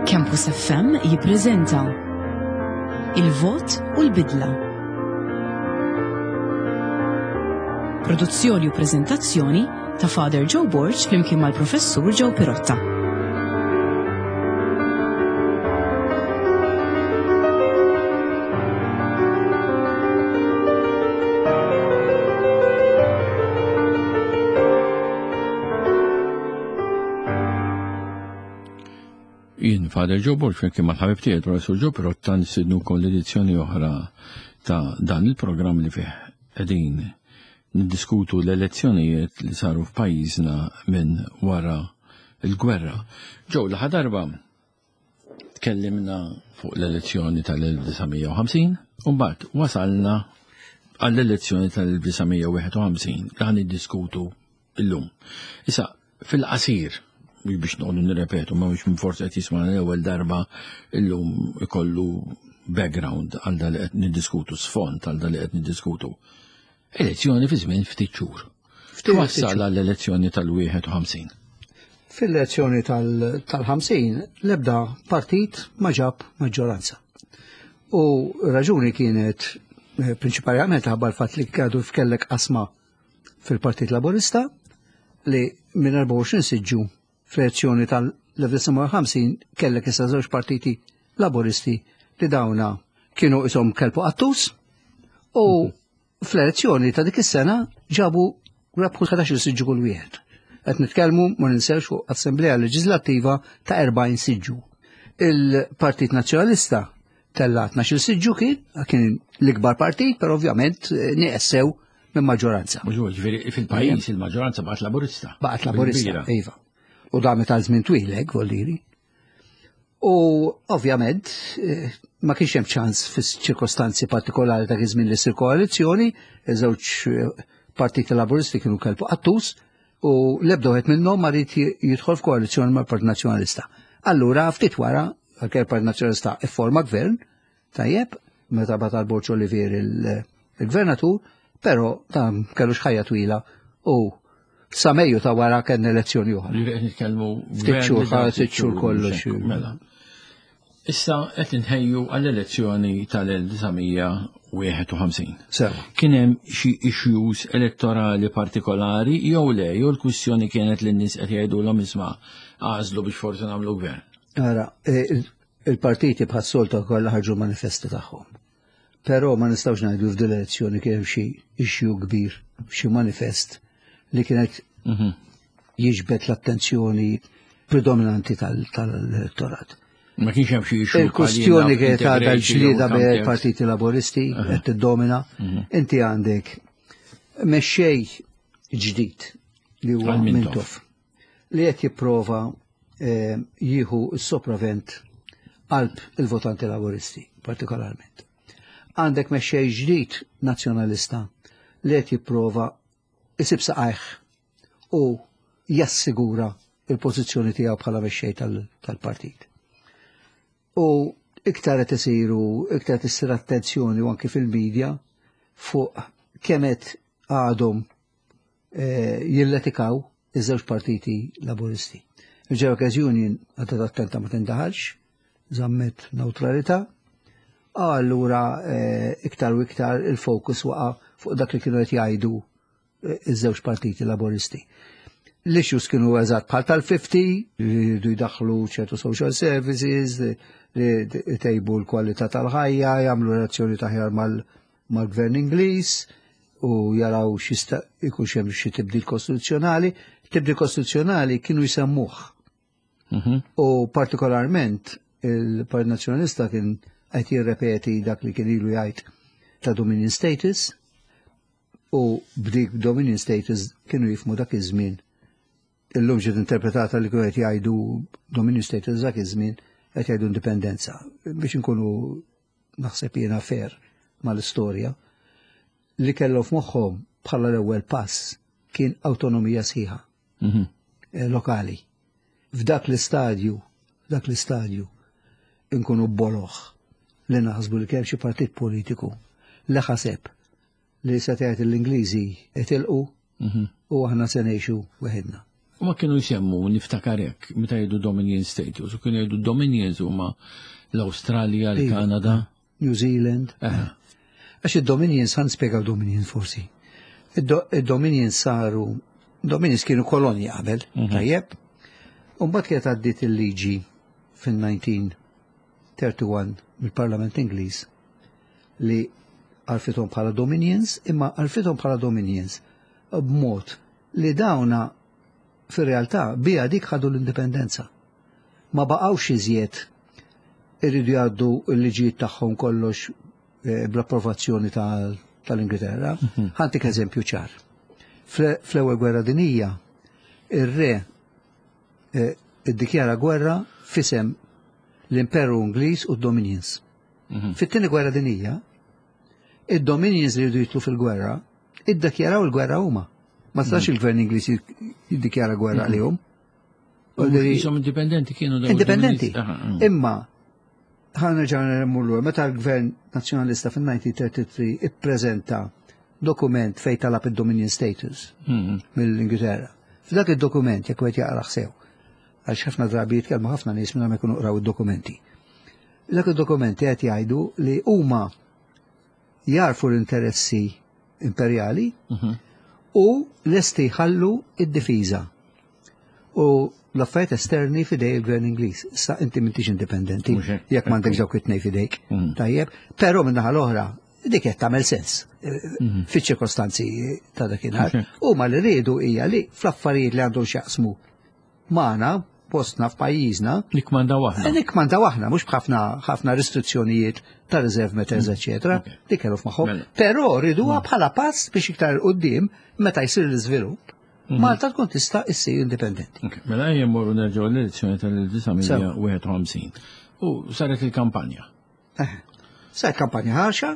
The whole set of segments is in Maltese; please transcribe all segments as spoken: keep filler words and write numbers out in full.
Campus F M jippreżenta Il-Vot u l-Bidla. Produzzjoni u preżentazzjoni ta' Father Joe Borg flimkien mal-Professur Joe Pirotta. Jien Father Joe Borg flimkien mal-ħabib tiegħi Professur Joe Pirotta nistednukom l-edizzjoni oħra ta' dan il-programm li fih qegħdin niddiskutu l-elezzjonijiet li saru f'pajjiżna minn wara l-gwerra. Joe, l-aħħar darba tkellimna fuq l-elezzjoni tal-elf disa' mija u ħamsin u mbagħad wasalna għall-elezzjoni tal-elf disa' mija u wieħed u ħamsin li ħan niddiskutu illum. Issa, fil-qasir, mhux biex noqogħdu nirrepetu, ma mhux minn forsi qed jisma' l-ewwel darba illum ikollu background għal dak li qed niddiskutu, sfond għal dak li qed niddiskutu. Elezzjoni fi żmien ftit xhur. Ftit Wassal xhur. għall-elezzjoni tal-wieħed u ħamsin. Fil-elezzjoni tal-, tal-ħamsin l-ebda partit ma ġab maġġoranza. U raġuni kienet, eh, prinċipalment ħabba l-fatt li għadu f'kellek qasma fil-Partit Laburista li minn erbgħa u għoxrin siġġu fl-elezzjoni tal-elf disa' mija u ħamsin kellek issa żewġ partiti Laburisti li dawna kienu ishom kelbu qattus u fl-elezzjoni ta' dik is-sena ġabu rebħu ħdax-il siġġu kull wieħed. Qed nitkellmu ma ninsewx fuq Assemblea Leġislattiva ta' erbgħin siġġu. Il-Partit Nazzjonalista tella' tnax-il siġġu kien, kien l-ikbar partit, però ovvjament nieqes sew minn maġġoranza. Mhux hu, ġifieri fil-pajjiż il-maġġoranza baqgħet Laburista. Baqgħet Laburista, Bil-kbira. iva. U damet għal żmien twil hekk, voldiri. U ovvjament, eh, ma kienx hemm ċans fis-ċirkostanzi partikolari ta' żmien li ssir koalizzjoni, iż-żewġ, eh, partiti Laburisti kienu kelbu qattus u l-ebda wieħed minnhom ma ried ji-, jidħol f'koalizzjoni mal-Partit Nazzjonalista. Allura ftit wara, għalkemm il-Partit Nazzjonalista ifforma gvern, tajjeb, meta bagħat Borg Olivier il-, il-gvernatur, però dan kellux ħajja twila u sa Mejju ta' wara kellna elezzjoni oħra. Li qed nitkellmu Ftit gvern xhur, li dak ftit xhur xhur kollox. mhux hekk, mela. Issa qed inħejju għall-elezzjoni tal-elf disa' mija u wieħed u ħamsin. Sewa. Kien hemm xi issues elettorali partikolari jew le, jew l-kwistjoni kienet li n-nies qed jgħidulhom isma' għażlu biex forsi nagħmlu gvern. Ara, e, il-, il-partiti bħas-soltu kollha ħarġu manifesti tagħhom. Però ma nistgħux ngħidu f'din l-elezzjoni kien hemm xi issue kbir, xi manifest li kienet Mhm. jiġbed l-attenzjoni predominanti tal-, tal-elettorat. Ma kienx hemm xi issue Il-kwestjoni bħal kienet għadha integration l-ġlieda jew bejn counter. il-partiti Laburisti Aha. qed tiddomina. Mhm. Inti għandek mexxej ġdid li huwa Għal Mintoff. Mintoff li qed jipprova, eh, jieħu s-sopravent qalb il-votanti Laburisti partikolarment. Għandek mexxej ġdid nazzjonalista li qed jipprova isib saqajh u jassigura il-pożizzjoni tiegħu bħala mexxej tal-, tal-partit. U iktar qed isiru, iktar qed issir attenzjoni u anke fil-medja fuq kemm qed għadhom, eh, jilletikaw iż-żewġ partiti Laburisti. Il-Workers Union għadha attenta ma tindaħalx, żammet neutralità, allura, eh, iktar u iktar il-fokus waqa' fuq dak li kienu qed jgħidu, eh, iż-żewġ partiti Laburisti. L-issues kienu eżatt bħal tal-fifty, li jridu jdaħħlu ċertu social services, li jtejbu l-kwalità tal-ħajja, jagħmlu relazzjoni taħjar mal-, mal-gvern Ingliż u jaraw x'jista' jkun hemm xi tibdil kostituzzjonali. Tibdil kostituzzjonali kienu jsemmuh. Mhm. U partikolarment il-Partit Nazzjonalista kien qed jirrepeti dak li kien ilu jgħid ta' Dominion Status u b'dik Dominion Status kienu jifmu dak iż-żmien. Illum ġiet interpretata li kienu qed jgħidu Dominion Status dak iż-żmien qed jgħidu indipendenza. Biex inkunu naħseb jiena fair mal-istorja, li kellhom f'moħħhom bħala l-ewwel pass kien awtonomija sħiħa Mhm. eh, lokali. F'dak l-istadju, f'dak l-istadju inkunu boloħ li naħsbu li kemm xi partit politiku li ħaseb li se tgħid l-Ingliżi itilqu Mhm. u aħna se ngħixu weħidna. U ma kienu jsemmu, niftakar hekk, meta jgħidu Dominion status, u kienu jgħidu Dominions huma l-Awstralja, l-Kanada. New Zealand. Għax id-Dominions, ħa nispjegaw Dominions forsi. Id-Dominions saru, Dominions kienu kolonji qabel, mhm. tajjeb. Umbagħad kienet għaddiet il-liġi fil-elf disa' mija u wieħed u tletin mill-Parlament Ingliż li għarfithom bħala Dominions, imma għarfithom bħala Dominions b'mod li dawna fir-realtà bija dik ħadu l-indipendenza. Ma baqgħux iżjed irridu jgħaddu l-liġijiet tagħhom kollox eh, bl-approvazzjoni tal-Ingilterra. Mhm. Ħa ntik eżempju ċar. Fl-ewwel gwerra dinija, ir-re eh, iddikjara gwerra f'isem l-Imperu Ingliż u d-Dominions. Mhm. Fit-tieni gwerra dinija, id-Dominions li jridu jidħlu fil-gwerra, iddikjaraw il-gwerra huma. Ma setax mhm. il-gvern Ingliż jiddikjara gwerra għalihom. Jisom indipendenti kienu. Indipendenti. Imma ħa nerġa' mmur meta l-Gvern Nazzjonalista fil-elf disa' mija u tlieta u tletin ippreżenta dokument fej talab id-Dominion status mhm. mill-Ingilterra. F'dak id-dokument, jekk wieħed jaqra sew, għax ħafna drabi jitkellmu ħafna nies minn ma jkunu qraw id-dokumenti. Dak id-dokumenti qed jgħidu li huma jarfu l-interessi imperjali mhm. u lesti jħallu id-difiża u l-affarijiet esterni f'idej il-Gvern Ingliż. Sa inti m'intix indipendenti jekk m'għandek dawk it-tnejn f'idejk. Mm. Tajjeb, però minn naħa l-oħra dik qed tagħmel sens mm. fiċ-ċirkostanzi ta' dakinhar. Huma li riedu hija li fl-affarijiet li għandhom x'jaqsmu magħna postna f'pajjiżna. Nikkmandaw aħna. Nikkmandaw aħna, mhux b'ħafna ħafna restrizzjonijiet ta' reserve matters, mm. eċetera. Dik kellu f'moħħhom. Mela. Però riduha mm. bħala pass biex iktar quddiem meta jsir l-iżvilupp mhm. Malta tkun tista' issir indipendenti. Mela ejja mmorru nerġgħu l-elezzjoni tal-elf disa' mija u wieħed u ħamsin. U saret il-kampanja. Eh, saret kampanja ħarxa,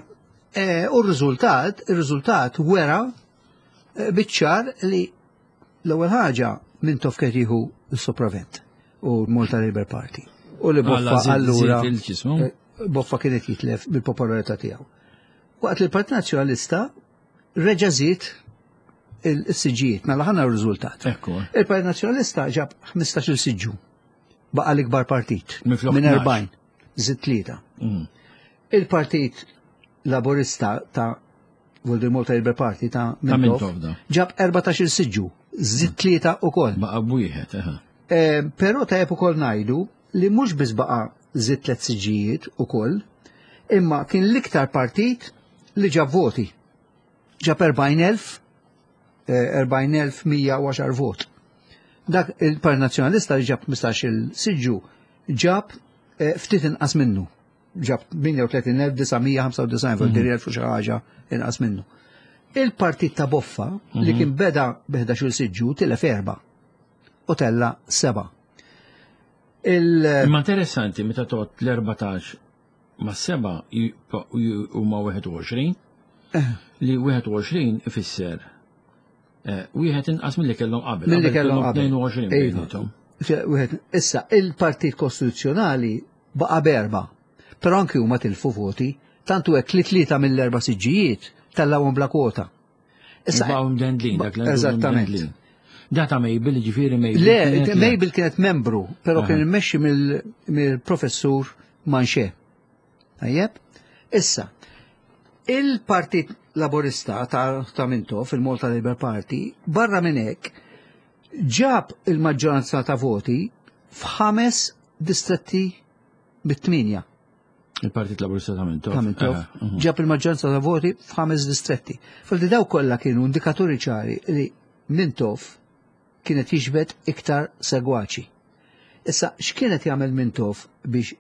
eh, u r-riżultat, ir-riżultat wera eh, biċ-ċar li l-ewwel ħaġa Mintoff kien jieħu s-sopravvent u Malta Labour Party. U li Boffa allura Boffa kienet jitlef bil-popolarità tiegħu. Waqt li l-Partit Nazzjonalista reġa' żied il-siġġijiet, mela ħa naraw r-riżultat. Il-Partit Nazzjonalista ġab ħmistax-il siġġu. Baqa l-ikbar partit. Minn erbgħin, żied tlieta. Mm. Il-Partit Laburista ta' Voldemort Malta Labour Party ta' Mintoff ġab erbatax-il siġġu, żied tlieta ukoll. Baqa b'wieħed, eh, Però tajjeb ukoll ngħidu li mhux biss baqa' żied tliet siġġijiet ukoll, imma kien l-iktar partit li ġab voti. Ġab erbgħin elf erbgħin elf u mija u għaxar vot. Dak il-Partit Nazzjonalista li ġab ħmistax-il siġġu ġab eh, ftit inqas minnu. Ġab tmienja u tletin elf disa' mija u ħamsa u disgħin, mm -hmm. xi ħaġa inqas minnu. Il-partit ta' Boffa li mhm. kien beda bi ħdax-il siġġu tilef erba' u tella seba'. Imma interessanti meta tgħodd l-erbatax ma' seba' huma wieħed u għoxrin eh. li wieħed u għoxrin ifisser eh, wieħed inqas milli kellhom qabel. Milli kellhom qabel. tnejn u għoxrin bejniethom. Issa, il-Partit Kostituzzjonali baqa' b'erba', però anki huma tilfu voti, tantu hekk li tlieta mill-erba' siġġijiet tellawhom bla kwota. Issa baqgħu mdendlin dak. Eżattament. Data Mabel, ġifieri Mabel. Le, Mabel kienet membru, però kien immexxi mill-professur Manche. Tajjeb? Issa, il-Partit Laborista ta', ta Mintoff, il-Malta Labour Party, barra minn hekk, ġab il-maġġoranza ta' voti f'ħames distretti bit-tminja. Il-Partit Laburista ta' Mintoff. Ta' Mintoff. Mhm. Ġab il-maġġoranza ta' voti f'ħames distretti. Fil daw kollha kienu indikaturi ċari li Mintoff kienet jiġbed iktar segwaċi. Issa, x'kienet jagħmel Mintoff biex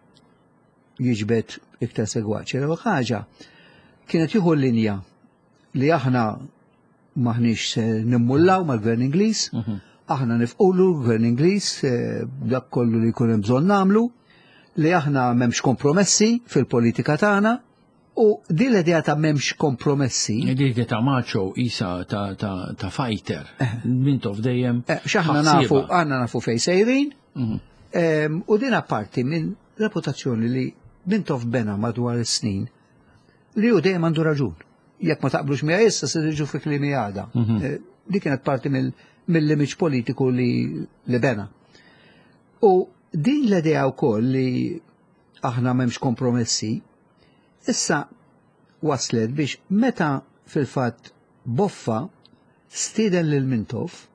jiġbed iktar segwaċi? L-ewwel ħaġa kienet jieħu l-linja li aħna maħniex se nimmullaw mal-Gvern Ingliż, mhm. aħna nifqulu l-Gvern Ingliż eh, dak kollu li jkun hemm bżonn nagħmlu, li aħna m'hemmx kompromessi fil-politika tagħna. U din l-idea ta' m'hemmx kompromessi. L-idea ta' macho isa ta', ta, ta fighter. Eh. Mintoff dejjem. Eh, x'aħna nafu, għandna nafu fej sejrin. Mhm. U din apparti minn reputazzjoni li Mintoff bena madwar is-snin li hu dejjem għandu raġun. Jekk ma taqblux miegħi issa se tiġu fi kliemi għada. Mhm. Eh, Di kienet parti mill-image politiku li, li bena. U din l-idea wkoll li aħna m'hemmx kompromessi, issa waslet biex meta fil-fatt Boffa stieden lil Mintoff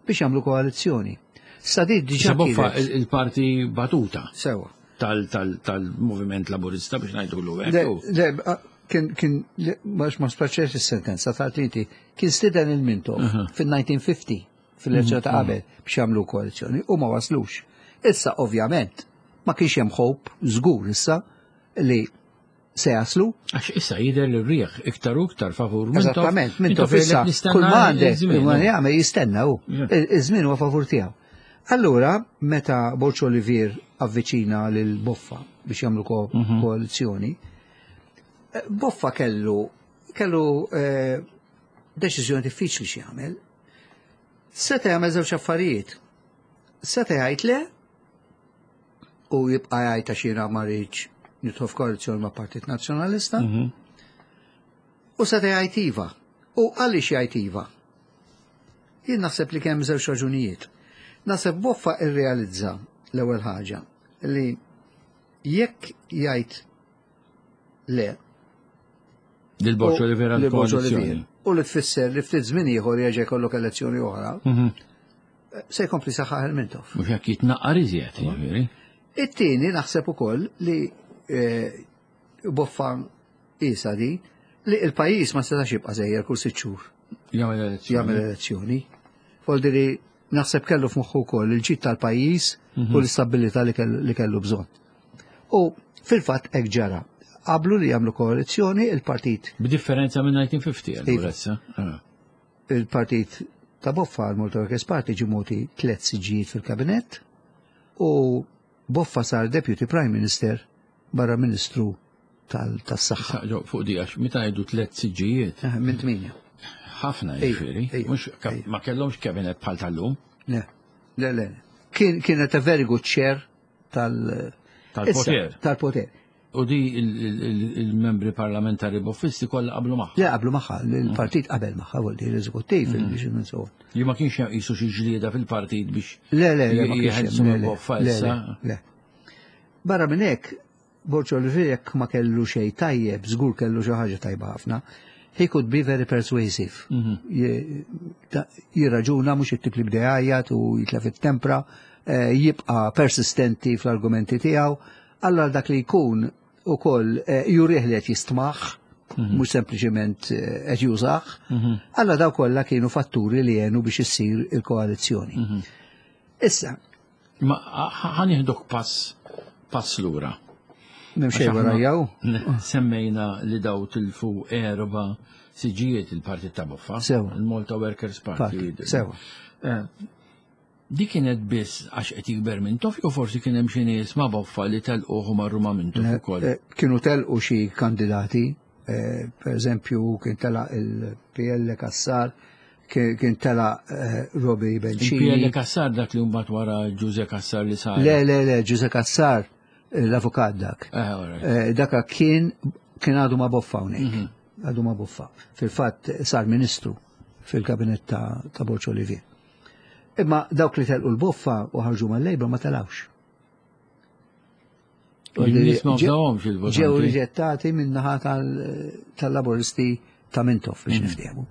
biex jagħmlu koalizzjoni. Sa di diġà Issa Boffa kienet- il- il-parti batuta Sewa. tal- tal- tal-moviment laburista biex ngħidulu Le, hekk. le, a- kien, kien, le, ma ma spaċċex is-sentenza ta' inti, kien stieden il-Mintoff fil-elf disa' mija u ħamsin, fil-elezzjoni ta' qabel biex jagħmlu koalizzjoni u ma waslux. Issa ovvjament ma kienx hemm hope żgur issa li se jaslu. Għax issa jidher li r-rieħ iktar u iktar favur Mintoff. Eżattament, Mintoff issa jgħidlek kull ma għandek, nistenna kull ma iż-żmien. jagħmel jistenna hu. Yeah. Iż-żmien huwa favur tiegħu. Allura, meta Borg Olivier avviċina lil Boffa biex jagħmlu ko- koalizzjoni, eh, Boffa kellu kellu eh, deċiżjoni diffiċli xi jagħmel. Seta' jagħmel żewġ affarijiet. Seta' jgħid le u jibqa' jgħid għax jiena ma rridx nidħol f'koalizzjoni ma' Partit Nazzjonalista. U seta' jgħid iva. U għaliex jgħid iva? Jien naħseb li kemm żewġ raġunijiet. Naħseb Boffa irrealizza l-ewwel ħaġa li jekk jgħid le Lil Borg u- Olivier lil Borg Olivier, għal-koalizzjoni. u li tfisser li ftit żmien ieħor jerġa' jkollok elezzjoni oħra, se jkompli saħħaħ il-Mintoff. Mhux hekk jitnaqqar iżjed, jiġifieri. It-tieni naħseb ukoll li eh, Boffa isa di li il-pajjiż ma setax jibqa' sejjer kull sitt xhur Jagħmel elezzjoni. jagħmel elezzjoni. Voldi li naħseb kellu f'moħħu wkoll il-ġid tal-pajjiż u l-istabilità li kellu, li kellu bżonn. U fil-fatt hekk ġara. Qablu li jagħmlu koalizzjoni il-partit B'differenza minn elf disa' mija u ħamsin Iva. allura issa. Ah. Il-partit ta' Boffa, l-Malta Workers Party, ġie mogħti tliet siġġijiet fil-kabinett u Boffa sar Deputy Prime Minister barra Ministru tal- tas-Saħħa. Issa, ġo, fuq di għax meta ngħidu tliet siġġijiet, Eh, Minn tminja. ħafna Ejja, jiġifieri. ejja, Mhux ka- ejja. ma kellhomx kabinet bħal tal-lum. Le, le, le. Kien, kienet a very good share tal- Tal-poter. Issa, Tal-poter. U di il- il- il- il-membri parlamentari boffisti kollha qablu magħha. Le, qablu magħha, il-partit qabel magħha, vuol dire l-eżekuttiv, il so on. Li ma kienx hemm qisu xi ġlieda fil-partit biex Le, le, le, ma kienx jeħelsu hemm, le, minn le, Boffa le, issa. le, le. Barra minn hekk, Borg Olivier jekk ma kellu xejn tajjeb, żgur kellu xi ħaġa tajba ħafna. He could be very persuasive. Je- ta- Jirraġuna mhux it-tip li bda jgħajjat u jitlef it-tempra, eh, jibqa' persistenti fl-argumenti tiegħu. Allora dak li jkun ukoll eh, jurih li qed jistmaħ, mhux sempliċement eh, qed jużah. Allora daw kollha kienu fatturi li għenu biex issir il-koalizzjoni. Issa, Ma ħa nieħduk pass pass lura. M'hemm xejn Għax wara aħna jew. Semmejna li daw tilfu erba siġijiet il-partit ta' Boffa. Sewa. Il-Malta Workers Party. Party, sewa. Eh, Di kienet biss għax qed jikber Mintoff jew forsi kien hemm xi nies ma' Boffa li telquh u marru ma' Mintoff ukoll? Eh, Kienu telqu xi kandidati, eh, per eżempju kien tela il-P L Cassar, kien kien tela eh, Robbie Il-P L Bencini. Cassar dak li mbagħad wara Ġuże Cassar li sar. Le, le, le, Ġuże Cassar, eh, l-avukat dak. Eh, all right. Eh, Daka kien kien għadu ma' Boffa hawnhekk. Għadu ma' Boffa. Fil-fatt sar ministru fil-kabinet ta', ta' Borg Olivier. Imma dawk li telqu l-Boffa u ħarġu mal-Labour ma telawx. In-nies ma Ġew- fdawhomx il-votanti. Ġew riġettati min-naħa tal- tal-Laboristi ta' Mintoff biex niftehmu.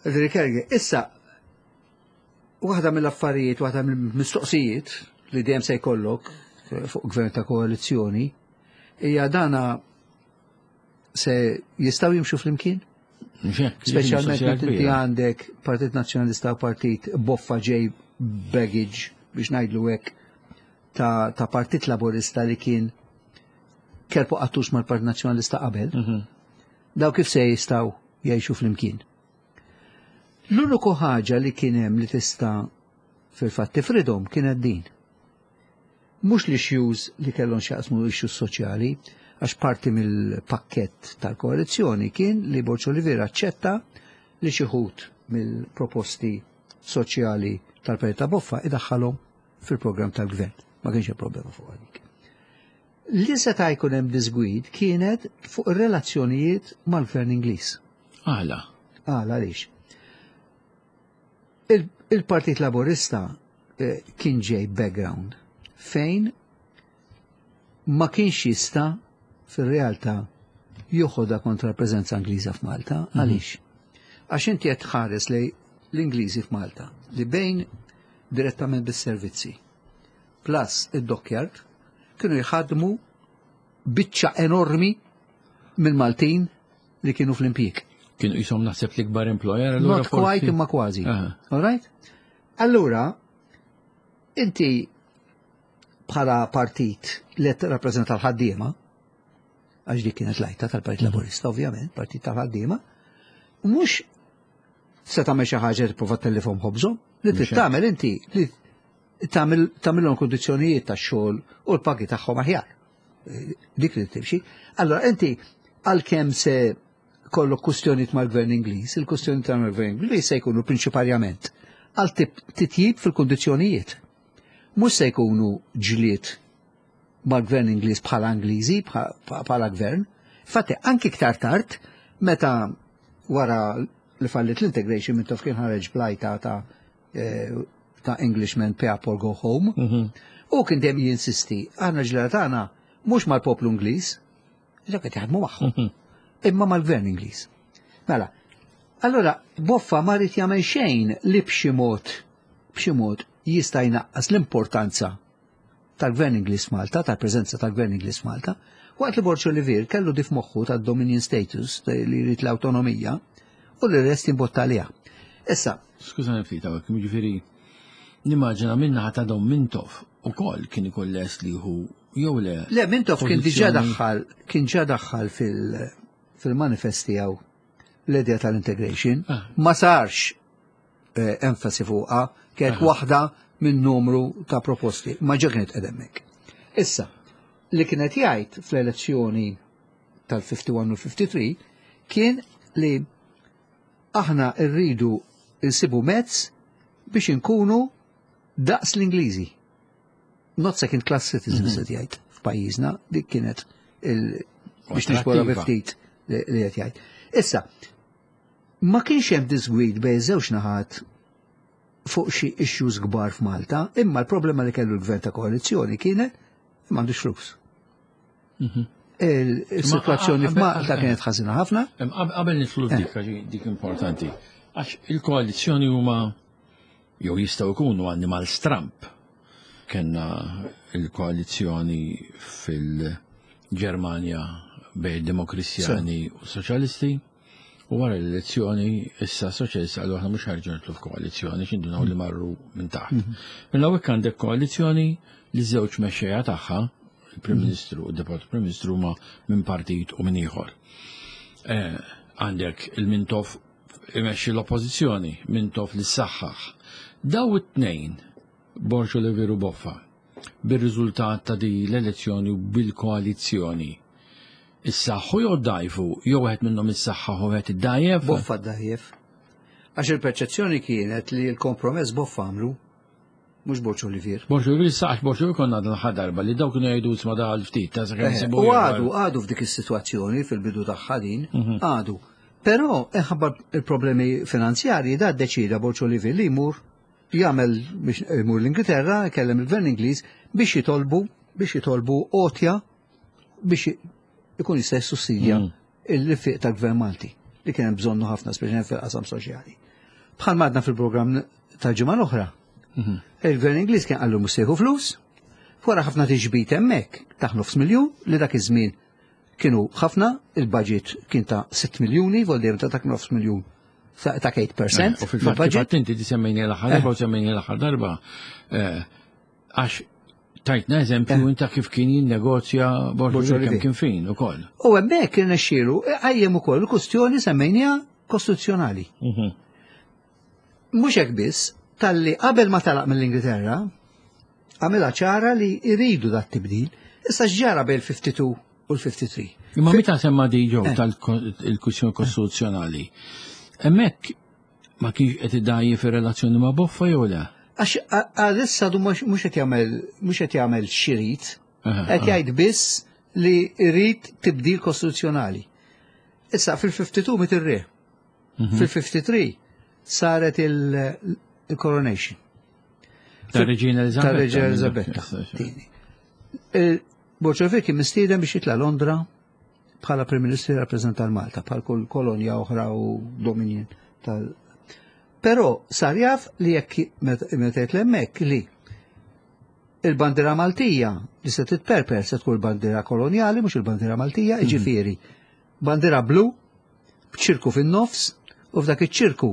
Ġifieri, issa, waħda mill-affarijiet, waħda mill-mistoqsijiet li dejjem se jkollok fuq gvern ta' koalizzjoni, hija dana se jistgħu jimxu flimkien? Mhux Speċjalment mistoqsija meta inti kbira. għandek Partit Nazzjonalista u Partit Boffa ġej baggage biex ngħidlu hekk ta', ta' Partit Laburista li kien kelbu qattux mal-Partit Nazzjonalista qabel. Daw kif se jistgħu jgħixu flimkien? L-uniku ħaġa li kien hemm li tista' fil-fatt tifridhom kienet din. Mhux l-issues li kellhom x'jaqsmu issues soċjali, għax parti mill-pakkett tal-koalizzjoni kien li Borg Olivier aċċetta li xi wħud mill-proposti soċjali tal-Partit ta' Boffa idaħħalhom fil-programm tal-gvern. Ma kienx hemm problema fuq għalik. Li seta' jkun hemm disgwid kienet fuq ir-relazzjonijiet mal-gvern Ingliż. Għala. Għala għaliex? Il-Partit Laburista eh, kien ġej background fejn ma kienx jista' fir-realtà joħodha kontra l-preżenza Ingliża f'Malta. Mhm. Għaliex? Għax inti qed tħares lejn l-Ingliżi f'Malta li bejn direttament bis-servizzi plus id-dockyard kienu jħadmu biċċa enormi mill-Maltin li kienu fl-impjieg. Kienu jisom naħseb l-ikbar employer. Not quite, imma kważi. All right? Allura, inti bħala partit li rappreżenta l-ħaddiema, għax dik kienet l-għajta tal-Partit mhm. Laburista, ovvjament, partit tal-ħaddiema, mhux se tagħmel xi ħaġa tipprova tellifhom ħobżhom, li trid tagħmel inti li tagħmilhom kundizzjonijiet tax-xogħol u l-pagi tagħhom aħjar. Dik li timxi. Allora inti għalkemm se kollok kustjonijiet mal-gvern Ingliż, il-kustjonijiet mal-gvern Ingliż se jkunu prinċipalment għal titjib fil-kundizzjonijiet. Mhux se jkunu ġlied mal-gvern Ingliż bħala Ingliżi, bħala gvern. Infatti, anki iktar tard, meta wara li fallit l-integration, Mintoff kien ħareġ bl-għajta ta' eh, ta' "Englishmen pay up or go home". Mhm. U kien dejjem jinsisti, aħna ġlieda tagħna mhux mal-poplu Ingliż, dak qed jaħdmu magħhom, mhm. imma mal-gvern Ingliż. Mela, allora Boffa ma ried jagħmel xejn li b'xi mod b'xi mod jista' jnaqqas l-importanza tal-gvern Ingliż Malta, tal-preżenza tal-gvern Ingliż Malta, waqt li Borg Olivier kellu dif moħħu tad-Dominion status li jrid l-awtonomija u li rest jimbotta għaliha. Issa. Skużani ftit hawnhekk, jiġifieri nimmaġina minna ta' Dom Mintoff ukoll kien ikun lest li hu jew le? Le, Mintoff kien diġà daħħal kien ġa daħħal fil-manifest tiegħu l-idea tal-integration. Ah. Ma sarx eh, enfasi fuqha, kienet waħda minn numru ta' proposti, ma ġa kienet hemmhekk. Issa, li kienet jgħid fl-elezzjoni tal-ħamsa u ħamsin u ħamsa u ħamsin kien li aħna rridu nsibu mezz biex inkunu daqs l-Ingliżi. Not second class citizens, mm -hmm. jgħid f'pajjiżna, dik kienet il biex nixbora ftit li qed jgħid. Issa, ma kienx hemm disgwid bejn żewġ naħat fuq xi issues kbar f'Malta, imma l-problema li kellu l-gvern ta' koalizzjoni kienet m'għandux flus. Mhm. Il-situazzjoni f'Malta kienet ħażina ħafna. Qabel nidħlu f'dik, dik importanti. Għax il-koalizzjoni huma jew jistgħu jkunu annimal stramp. Kenna il-koalizzjoni fil-Ġermanja bejn Demokristjani u Soċjalisti. U wara l-elezzjoni, issa soċjalista għallu aħna mhux ħarġu nidħlu f'koalizzjoni, x'indunaw li marru minn taħt. Mhm. Mela hawnhekk għandek koalizzjoni li żewġ mexxejja tagħha, il-Prim mhm. Ministru u d-Deputat Prim Ministru, ma minn partit u minn ieħor. Eh, għandek il-Mintoff imexxi l-oppożizzjoni, Mintoff li saħħaħ. Daw it-tnejn, Borg Olivier u Boffa, bir-riżultat ta' di l-elezzjoni u bil-koalizzjoni, issaħħu jew dajfu, jew wieħed minnhom issaħħaħ u wieħed iddajjef? Boffa ddajjef. Għax il-perċezzjoni kienet li l-kompromess Boffa għamlu, mhux Borg Olivier. Borg Olivier saħ, Borg Olivier konna għadna l darba li daw kienu jgħidu isma' daħal ftit ta' sakemm eh, U għadu, għadu f'dik is-sitwazzjoni fil-bidu tagħha din, mhm. għadu. Però inħabba il-problemi finanzjarji da deċida Borg Olivier li jmur jagħmel biex jmur l-Ingilterra, kellem il-Gvern Ingliż biex jitolbu biex jitolbu għotja biex ikun jista' jissussidja mm. il-fiq tal-Gvern Malti li kien hemm bżonnu ħafna, speċjalment fil-qasam soċjali. Bħal madna fil-programm tal-ġimgħa l-oħra. Mhm. Il-Gvern Ingliż kien qallu mhux se jieħu flus, wara ħafna tiġbid hemmhekk ta' nofs miljun li dak iż-żmien kienu ħafna, il-budget kien ta' sitt miljuni, vol dejjem ta' dak nofs miljun ta' tmien fil-mija. U fil-fatt inti di semmejni l-aħħar darba u semmejni l-aħħar darba eh, għax tajtna eżempju eh. inta kif kien jinnegozja Borg kemm kien fin ukoll. U hemmhekk irnexxielu qajjem ukoll il-kustjoni semmejnija kostituzzjonali. Mhm. Mhux hekk biss, talli qabel ma talaq mill-Ingilterra, għamilha ċara li jridu dat tibdil. Issa x'ġara bejn il-ħamsa u ħamsin u l-ħamsa u ħamsin? Imma meta semma di ġew eh. tal-kwistjoni kostituzzjonali, hemmhekk ma kienx qed idajji fir-relazzjoni ma' Boffa jew le? Għax għalissa du mhux qed jagħmel mhux qed jagħmel x'irid, qed jgħid biss li jrid tibdil kostituzzjonali. Issa fil-ħamsa u ħamsin miet ir-re. Mhm. Fil-ħamsa u ħamsin saret il-coronation. Tar-Reġina Elizabetta. Tar-Reġina Elizabetta. Borg Olivier kien mistieden biex jitla' Londra bħala Prim Ministru jirrappreżenta l-Malta, bħal kull kolonja oħra u dominion tal. Però sar jaf li jekk meta jitla' hemmhekk li il-bandiera Maltija li se titperper se tkun il-bandiera kolonjali, mhux il-bandiera Maltija, jiġifieri bandiera blu b'ċirku fin-nofs, u f'dak iċ-ċirku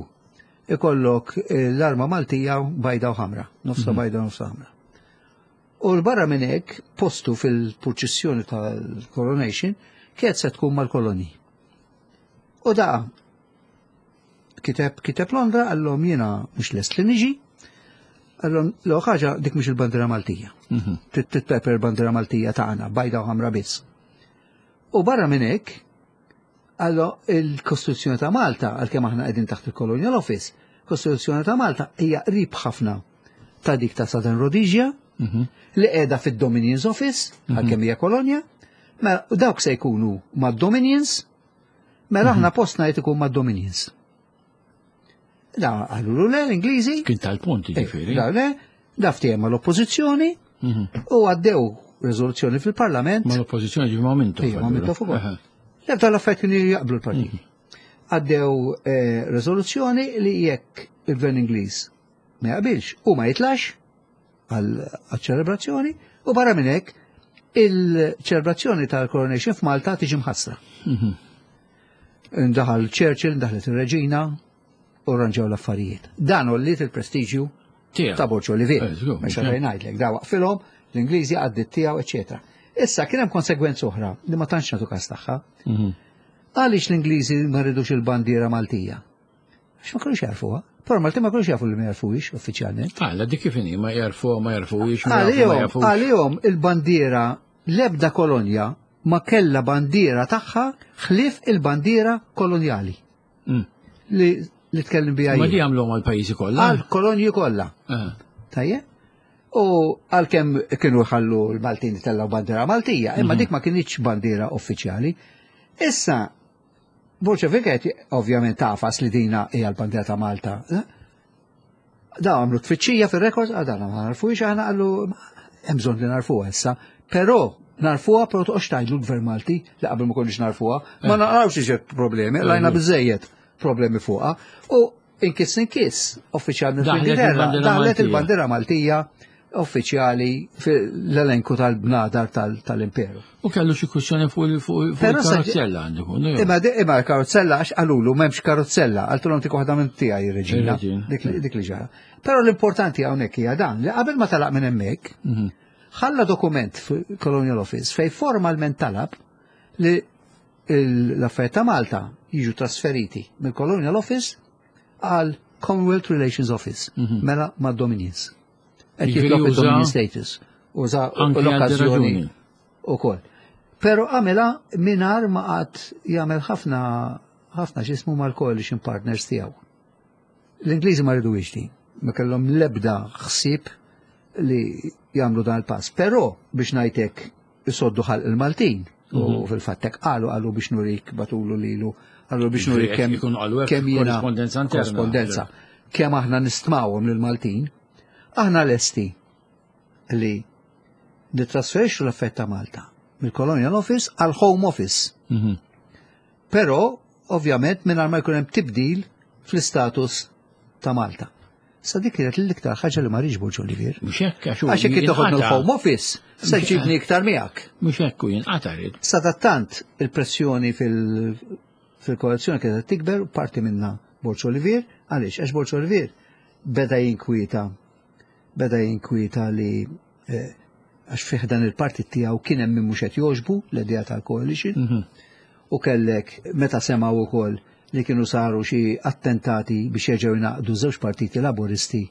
ikollok l-arma Maltija bajda u ħamra, nofsa bajda u nofsa ħamra. U l-barra minn hekk postu fil-purċissjoni tal-coronation kienet se tkun mal-koloni. U da kiteb kiteb Londra, għallhom jiena mhux lest li niġi, għallhom l ħaġa dik mhux il-bandiera Maltija. Titpeper il-bandiera Maltija tagħna, bajda u ħamra biss. U barra minn hekk, għallu il-Kostituzzjoni ta' Malta, għalkemm aħna qegħdin taħt il-Colonial Office, Kostituzzjoni ta' Malta hija qrib ħafna ta' dik ta' Southern Rhodesia, li qiegħda fid-Dominions Office, għalkemm hija kolonja, mela dawk se jkunu mad-Dominions, mela aħna postna jrid ikun mad-Dominions. Da għallu le l-Ingliżi. Kien tal-punt ġifieri. Da le, da ftehim mal-Oppożizzjoni u għaddew riżoluzzjoni fil-Parlament. Mal-Oppożizzjoni ġifieri ma' Mintoff. Ejja, ma' Mintoff ukoll. L-ebda l-affarijiet kienu jaqblu l-partiti. Għaddew riżoluzzjoni li jekk il-Gvern Ingliż ma jaqbilx u ma jitlax għal-ċelebrazzjoni, u barra minn hekk il-ċelebrazzjoni tal-coronation f'Malta tiġi mħassra. Ndaħal Churchill, ndaħlet ir-Reġina, u rranġaw l-affarijiet. Dan għolliet il-prestiġju ta' Borg Olivier. Mhux għalfejn ngħidlek, da waqfilhom l-Ingliżi għaddit tiegħu, eċetera. Issa kien hemm konsegwenza oħra li ma tantx nagħtu każ tagħha. Għaliex l-Ingliżi ma rridux il-bandiera Maltija? Għax ma kinux jarfuha. Però Malti ma kinux jafu li ma jarfuhiex uffiċjalment. Għala dik kif inhi, ma jarfuha, ma jarfuhiex, ma Għalihom għalihom il-bandiera l-ebda kolonja ma kellha bandiera tagħha ħlief il-bandiera kolonjali. Li li tkellem biha. Ma di għamluhom għall-pajjiżi kollha? Għall-kolonji kollha. Tajjeb? U għalkemm kienu jħallu l-Maltin tellaw bandiera Maltija, imma dik ma kienx bandiera uffiċjali. Issa, Borg Olivier ovvjament tafas li dina hija l-bandiera ta' Malta. Da għamlu tfittxija fir-rekord, għadana ma narfuhiex, aħna qallu hemm bżonn li narfuha issa, però narfuha però toqgħodx tgħidlu l-Gvern Malti li qabel ma konniex narfuha, ma naqrawx iġed problemi, lajna biżejjed problemi fuqha. U inkiss inkiss uffiċjalment fl-Ingilterra daħlet il-bandiera Maltija uffiċjali fl-elenku tal-bnadar tal-imperu. U kellu xi kwistjoni fuq il-karozzella għandu. Imma imma l-karozzella għax qalulu m'hemmx karozzella, qaltulhom tik waħda minn tiegħi ir-reġina, dik li ġara. Però l-importanti hawnhekk hija dan li qabel ma talaq minn hemmhekk, ħalla dokument fil-Colonial Office fej formalment talab li l-affarijiet ta' Malta jiġu trasferiti mill-Colonial Office għal Commonwealth Relations Office, mela mad-Dominions. Qed jitlob il-Dominion status. Uża l-okkażjoni ukoll. Però għamilha mingħajr ma qatt jagħmel ħafna ħafna x'ismu mal-coalition partners tiegħu. L-Ingliżi ma rridux din, ma kellhom l-ebda ħsieb li jagħmlu dan il-pass. Però biex ngħidlek isoddu ħalq il-Maltin, u fil-fatt hekk qalu qalu biex nurik batulu lilu, qalu biex nurik kemm kemm jiena korrespondenza, kemm aħna nistmawhom lill-Maltin. Aħna lesti li nitrasferixxu l-affett ta' Malta mill-Colonial Office għal Home Office. Però, ovvjament, mingħajr ma jkun hemm tibdil fl-istatus ta' Malta. Sa dik kienet l-iktar ħaġa li ma rridx Borg Olivier. Mhux hekk għax Għax jekk toħodna l-Home Office, se ġibni iktar miegħek. Mhux hekk u jinqata' rid. Sadattant il-pressjoni fil-koalizzjoni kienet tikber, parti minna Borg Olivier, għaliex għax Borg Olivier beda jinkwieta beda jinkwieta li għax fih dan il-partit tiegħu kien hemm min mhux qed jogħġbu l-idea tal-coalition u kellek meta semgħu wkoll li kienu saru xi attentati biex jerġgħu jnaqdu żewġ partiti laboristi.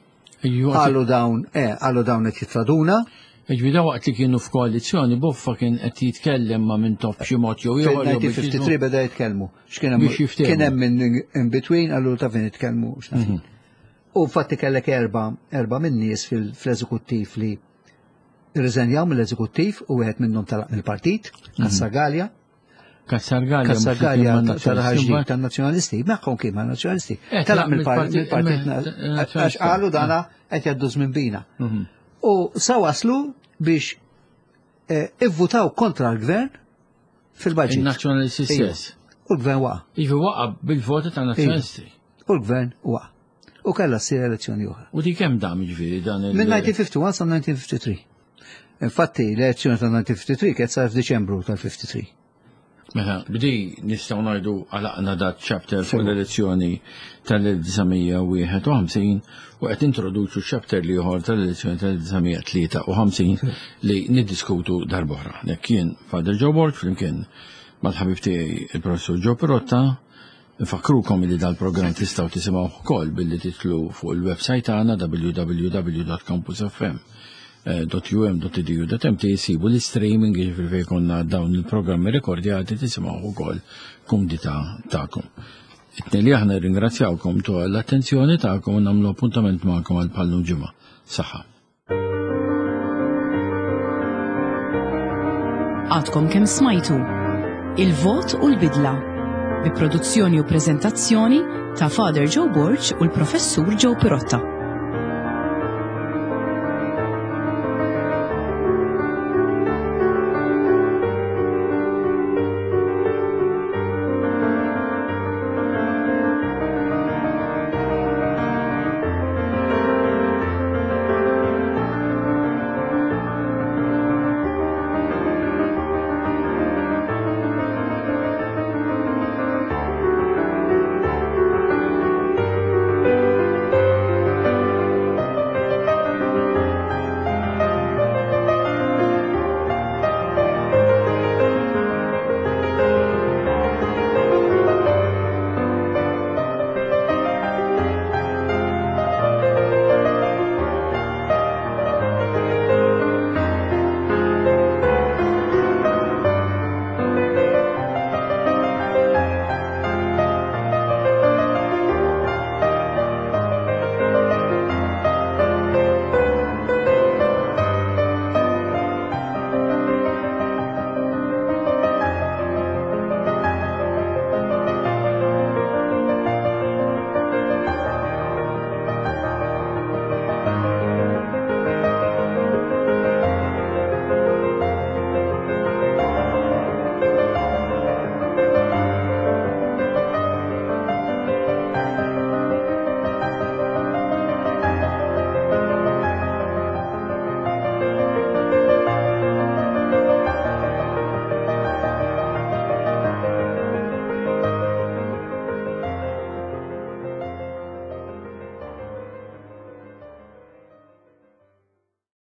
Qalu dawn, eh, qalu dawn qed jittraduna. Ġifieri waqt li kienu f'koalizzjoni Boffa kien qed jitkellem ma' Mintoff b'xi mod jew ieħor. Fil-nineteen fifty-three beda jitkellmu. X'kien hemm kien hemm min in between qalu ta' fejn jitkellmu x'naf. U fatti kellek erba, erba minn nies fl-eżekuttiv li rriżenjaw mill-eżekuttiv u wieħed minnhom talaq mill-partit, Kassa Gallia. Cassar Gallia. Cassar Gallia tal-ħarġi tan-nazzjonalisti, magħhom kien man-nazzjonalisti. Eh, Telaq mill-partit- mill-partit mill- għax qalu dana qed jgħaddu żmien bina. Mhm. U sa waslu biex eh, ivvutaw kontra l-gvern fil-budget. Il-nazzjonalisti Ejja. stess. U l-gvern waqa'. Ivi waqa' bil-voti ta' nazzjonalisti. U l-gvern waqa'. U kellha ssir elezzjoni oħra. U di kemm dam ġifieri dan il- Minn elf disa' mija u wieħed u ħamsin sa elf disa' mija u tlieta u ħamsin. Infatti, l-elezzjoni ta' elf disa' mija u tlieta u ħamsin kienet sar f'Diċembru tal-tlieta u ħamsin. Mela, b'di nistgħu ngħidu għalaqna dat chapter fuq l-elezzjoni tal-elf disa' mija u wieħed u ħamsin u qed introduċu chapter l-ieħor tal-elezzjoni tal-elf disa' mija u tlieta u ħamsin li niddiskutu darb'oħra. Nek kien Father Joe Borg flimkien mal-ħabib tiegħi il-professur Joe Pirotta. Nfakkrukom li dal-programm tistgħu tisimgħu ukoll billi titilgħu fuq il-website tagħna w w w punt campusfm punt u m punt e d u punt m t, jisibu l-streaming, jiġifieri fejn konna dawn il-programmi rekordjati tisimgħu ukoll kumdità tagħkom. It-tnejn li aħna ringrazzjawkom ta' l-attenzjoni tagħkom u nagħmlu appuntament magħkom għal bħal-lum ġimgħa. Saħħa. Għadkom kemm smajtu Il-Vot u l-Bidla bi produzzjoni u prezentazzjoni ta' Father Joe Borg u l-Professur Joe Pirotta.